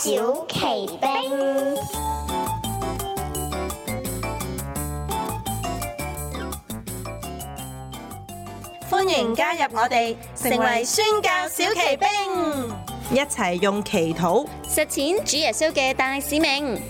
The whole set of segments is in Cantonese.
小奇兵。歡迎加入我哋，成為宣教小奇兵，一齊用祈禱實踐主耶穌嘅大使命。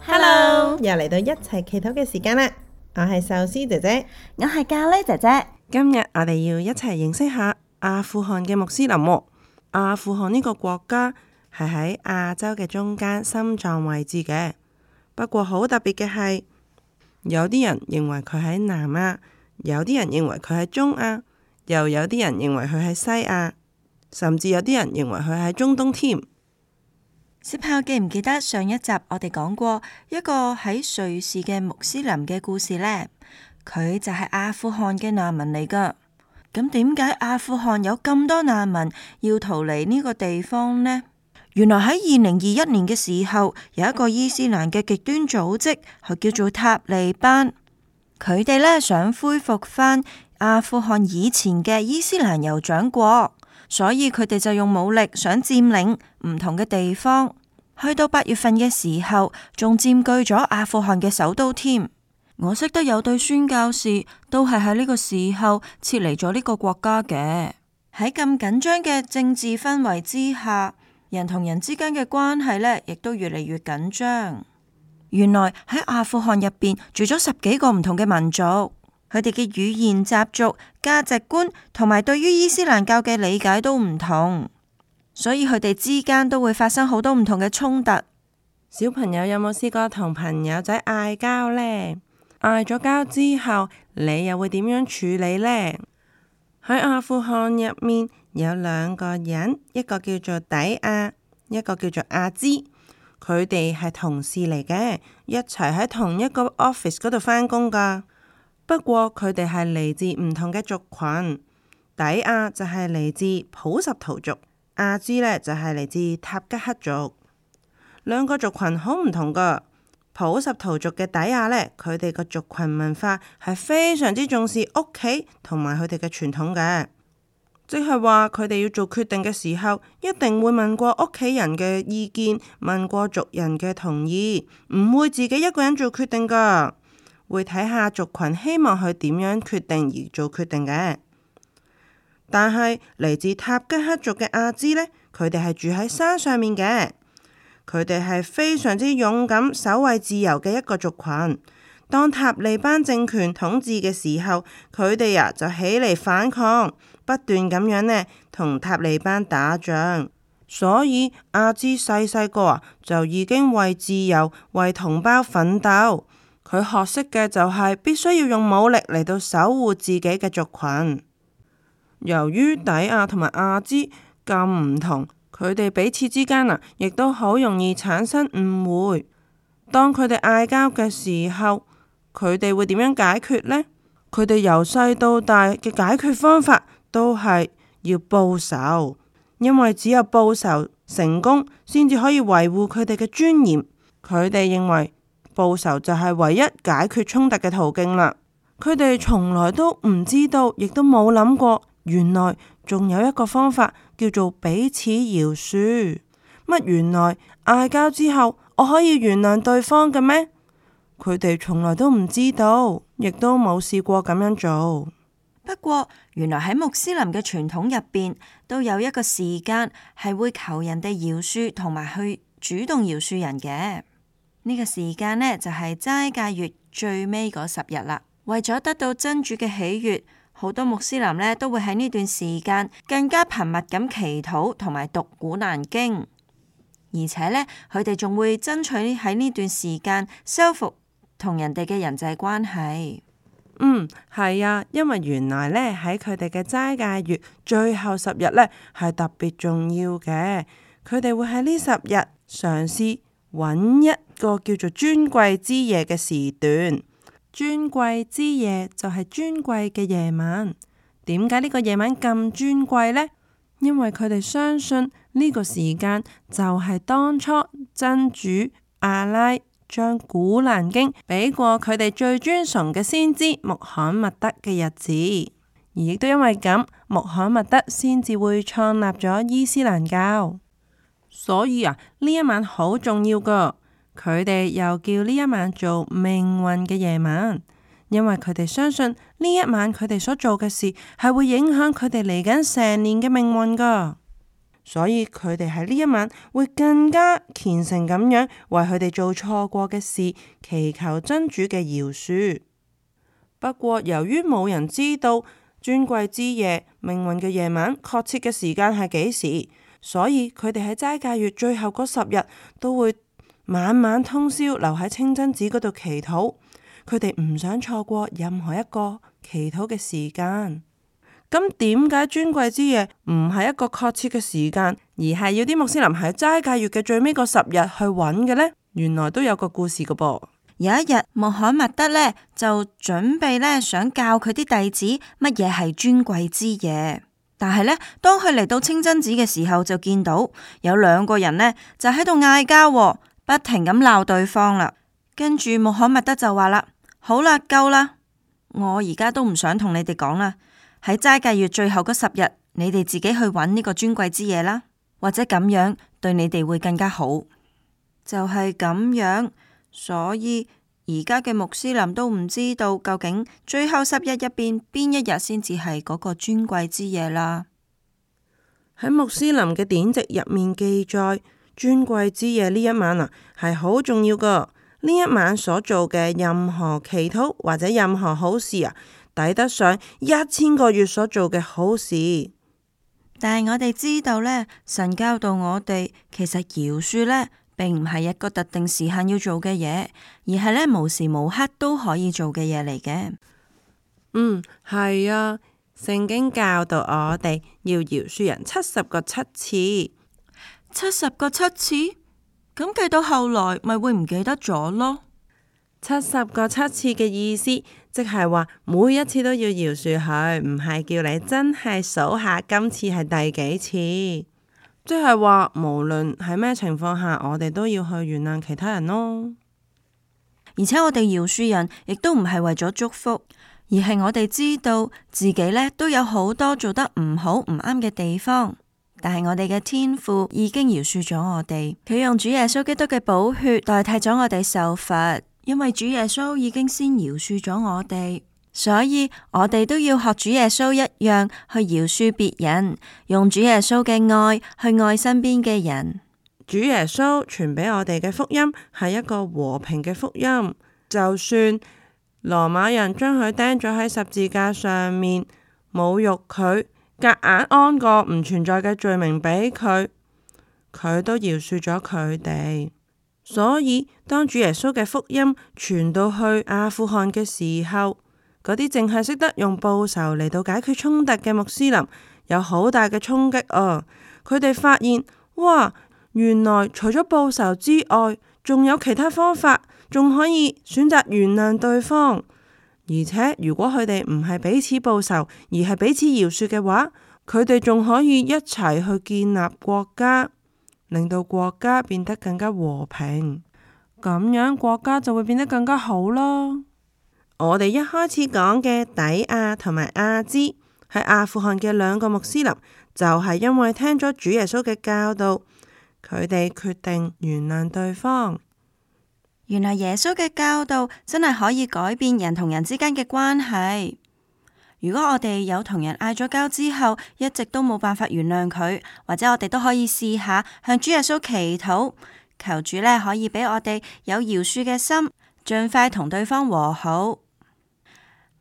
Hello，又嚟到一齊祈禱嘅時間啦！我係壽司姐姐，我係咖喱姐姐。今日我哋要一齊認識下阿富汗嘅穆斯林喎。阿富汗呢個國家係喺亞洲嘅中間心臟位置嘅，不過好特別嘅係，有啲人認為佢喺南亞，有啲人認為佢喺中亞，又有啲人認為佢喺西亞，甚至有啲人認為佢喺中東添。小朋友記唔記得上一集我哋講過一個喺瑞士嘅穆斯林嘅故事呢？佢就係阿富汗嘅難民嚟噶。咁點解阿富汗有咁多難民要逃離呢個地方呢？原來喺2021年嘅時候，有一個伊斯蘭嘅極端組織，係叫做塔利班。佢哋呢想恢復翻阿富汗以前嘅伊斯蘭酋長國，所以佢哋就用武力想佔領唔同嘅地方。去到8月份嘅時候，仲佔據咗阿富汗嘅首都添。我識得有對宣教士都係喺呢個時候撤離咗呢個國家嘅。喺咁緊張嘅政治氛圍之下，人同人之間嘅關係呢，亦都越嚟越緊張。原來喺阿富汗入邊住咗10幾個唔同嘅民族，佢哋嘅語言、習俗、價值觀同埋對於伊斯蘭教嘅理解都唔同，所以佢哋之間都會發生好多唔同嘅衝突。小朋友有冇試過同朋友仔嗌交呢？嗌咗交之後，你又會點樣處理呢？喺阿富汗入面有2個人，一個叫做底亞，一個叫做阿茲。佢哋係同事嚟嘅，一齊喺同一個 office 嗰度返工噶。不過佢哋係嚟自唔同嘅族群。底亞就係嚟自普什圖族，阿茲呢就係嚟自塔吉克族。2個族群好唔同噶。普什圖族嘅底亞呢，佢哋個族群文化係非常之重視屋企同埋佢哋嘅傳統嘅，即係話佢哋要做決定嘅時候，一定會問過屋企人嘅意見，問過族人嘅同意，唔會自己一個人做決定噶，會睇下族群希望佢點樣決定而做決定嘅。但係嚟自塔吉克族嘅阿茲呢，佢哋係住喺山上面嘅。佢哋係非常之勇敢、守衛自由嘅一個族群。當塔利班政權統治嘅時候，佢哋就起嚟反抗，不斷咁樣呢同塔利班打仗。所以阿茲細細個就已經為自由、為同胞奮鬥。佢學識嘅就係必須要用武力嚟到守護自己嘅族群。由於底亞同埋阿茲咁唔同，佢哋彼此之間亦都好容易產生誤會。當佢哋嗌交嘅時候，佢哋會點樣解決呢？佢哋由細到大嘅解決方法都係要報仇，因為只有報仇成功，先至可以維護佢哋嘅尊嚴。佢哋認為報仇就係唯一解決衝突嘅途徑啦。佢哋從來都唔知道，亦都冇諗過，原來仲有一個方法叫做彼此饒恕。乜原來嗌交之後我可以原諒對方嘅咩？佢哋從來都唔知道，亦都冇試過咁樣做。不過原來喺穆斯林嘅傳統入邊，都有一個時間係會求人哋饒恕同埋去主動饒恕人嘅。呢個時間呢，就係齋戒月最尾嗰10日啦。為咗得到真主嘅喜悅，好多穆斯林呢都會喺呢段時間更加頻密咁祈禱同埋讀古蘭經，而且呢，佢哋仲會爭取喺呢段時間修復同人哋嘅人際關係。係啊，因為原來呢，喺佢哋嘅齋戒月最後10日呢係特別重要嘅，佢哋會喺呢10日嘗試揾一個叫做尊貴之夜嘅時段。尊貴之夜就係尊貴嘅夜晚。點解呢個夜晚咁尊貴呢？因為佢哋相信呢個時間就係當初真主阿拉將古蘭經俾過佢哋最尊崇嘅先知穆罕默德嘅日子，而亦都因為咁，穆罕默德先至會創立咗伊斯蘭教。所以呢一晚好重要噶，佢哋又叫呢一晚做命運嘅夜晚，因為佢哋相信呢一晚佢哋所做嘅事係會影響佢哋嚟緊成年嘅命運噶。所以佢哋喺呢一晚會更加虔誠咁樣為佢哋做錯過嘅事祈求真主嘅饒恕。不過由於冇人知道尊貴之夜命運嘅夜晚確切嘅時間係幾時，所以佢哋喺齋戒月最後嗰10日都會晚晚通宵留喺清真寺嗰度祈禱。佢哋唔想錯過任何一個祈禱嘅時間。咁點解尊貴之夜唔係一個確切嘅時間，而係要啲穆斯林喺齋戒月嘅最尾嗰10日去揾嘅呢？原來都有個故事噶噃。有一日，穆罕默德呢就準備呢想教佢啲弟子乜嘢係尊貴之夜。但係呢，當佢嚟到清真寺嘅時候，就見到有2個人呢就喺度嗌交，不停咁鬧對方啦。跟住穆罕默德就話啦：好啦，夠啦，我而家都唔想同你哋講啦。喺齋戒月最後嗰10日，你哋自己去揾呢個尊貴之夜啦，或者咁樣對你哋會更加好。就係咁樣，所以而家嘅穆斯林都唔知道究竟最後10日入邊邊一日先至係嗰個尊貴之夜啦。喺穆斯林嘅典籍入面記載，尊貴之夜呢一晚係好重要噶。呢一晚所做嘅任何祈禱或者任何好事抵得上1000個月所做嘅好事。但係我哋知道呢，神教導我哋，其實饒恕呢並唔係一個特定時限要做嘅嘢，而係呢無時無刻都可以做嘅嘢嚟嘅。係啊，聖經教導我哋要饒恕人70個7次。70個7次？咁計到後來咪會唔記得咗咯？70個7次嘅意思，即係話每一次都要饒恕佢，唔係叫你真係數下今次係第幾次。即係話無論喺咩情況下，我哋都要去原諒其他人咯。而且我哋饒恕人，亦都唔係為咗祝福，而係我哋知道自己呢都有好多做得唔好唔啱嘅地方。但係我哋嘅天父已經饒恕咗我哋，佢用主耶穌基督嘅寶血代替咗我哋受罰，因為主耶穌已經先饒恕咗我哋，所以我哋都要學主耶穌一樣去饒恕別人，用主耶穌嘅愛去愛身邊嘅人。主耶穌傳俾我哋嘅福音係一個和平嘅福音，就算羅馬人將佢釘咗喺十字架上面，侮辱佢，夾硬安個唔存在嘅罪名俾佢，佢都饒恕咗佢哋。所以當主耶穌嘅福音傳到去阿富汗嘅時候，嗰啲淨係識得用報仇嚟到解決衝突嘅穆斯林有好大嘅衝擊啊！佢哋發現，哇，原來除咗報仇之外，仲有其他方法，仲可以選擇原諒對方。而且如果佢哋唔係彼此報仇，而係彼此饒恕嘅話，佢哋仲可以一齊去建立國家，令到國家變得更加和平，咁樣國家就會變得更加好咯。我哋一開始講嘅底亞同埋阿茲喺阿富汗嘅2個穆斯林，就係因為聽咗主耶穌嘅教導，佢哋決定原諒對方。原來耶穌嘅教導真係可以改變人同人之間嘅關係。如果我哋有同人嗌咗交之後，一直都冇辦法原諒佢，或者我哋都可以試下向主耶穌祈禱，求主呢可以俾我哋有饒恕嘅心，盡快同對方和好。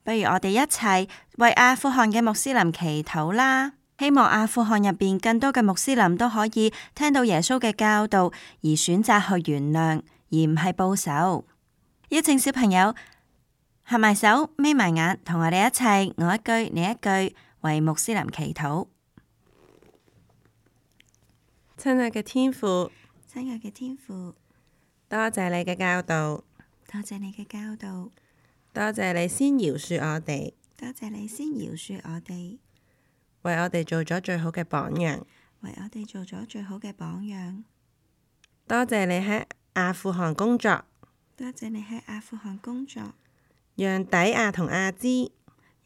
不如我哋一齊為阿富汗嘅穆斯林祈禱啦！希望阿富汗入邊更多嘅穆斯林都可以聽到耶穌嘅教導，而選擇去原諒，而唔係報仇。邀請小朋友合埋手，眯埋眼，同我哋一齊我一句你一句為穆斯林祈禱。親愛嘅天父，親愛嘅天父，多謝你嘅教導，多謝你嘅教導，多謝你先饒恕我哋，多謝你先饒恕我哋，為我哋做咗最好嘅榜樣，為我哋做咗最好嘅榜樣。多謝你喺阿富汗工作，多謝你喺阿富汗工作，讓底亞同阿芝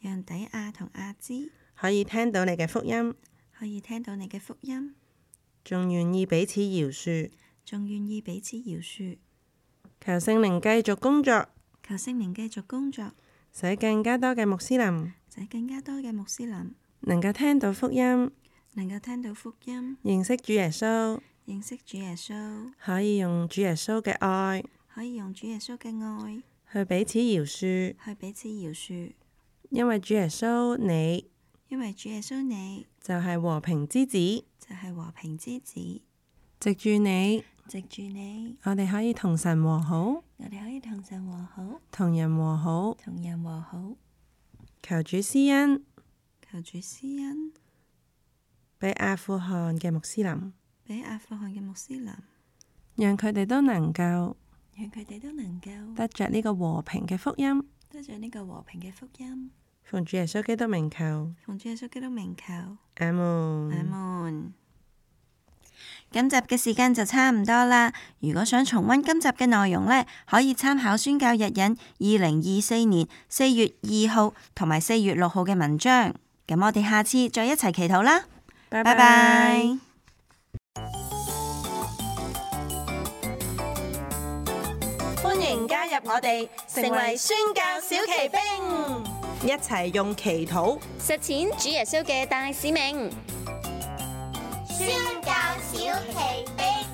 讓底亞同阿芝可以聽到你嘅福音，可以聽到你嘅福音，仲願意彼此饒恕。仲願意彼此饒恕。求聖靈繼續工作，求聖靈繼續工作，使更加多嘅穆斯林使更加多嘅穆斯林能夠聽到福音，能夠聽到福音，認識主耶穌，認識主耶穌，可以用主耶穌嘅愛可以用主耶穌嘅愛去彼此饒恕。去彼此饒恕。因為主耶穌你因為主耶穌你就係和平之子，就係和平之子，藉住你，藉住你，我哋可以同神和好，我哋可以同神和好，同人和好。同人和好。求主施恩求主施恩，俾阿富汗嘅穆斯林，俾阿富汗嘅穆斯林，讓佢哋都能夠讓佢哋都能夠得着呢個和平嘅福音。得着呢個和平嘅福音。奉主耶穌基督名求，奉主耶穌基督名求，阿門。阿門。今集嘅時間就差唔多啦。如果想重溫今集嘅內容呢，可以參考宣教日引2024年4月2號同埋4月6號嘅文章。咁我哋下次再一齊祈禱啦。拜拜拜。歡迎加入我哋，成為宣教小騎兵，一齊用祈禱實踐主耶穌嘅大使命。宣教小奇兵。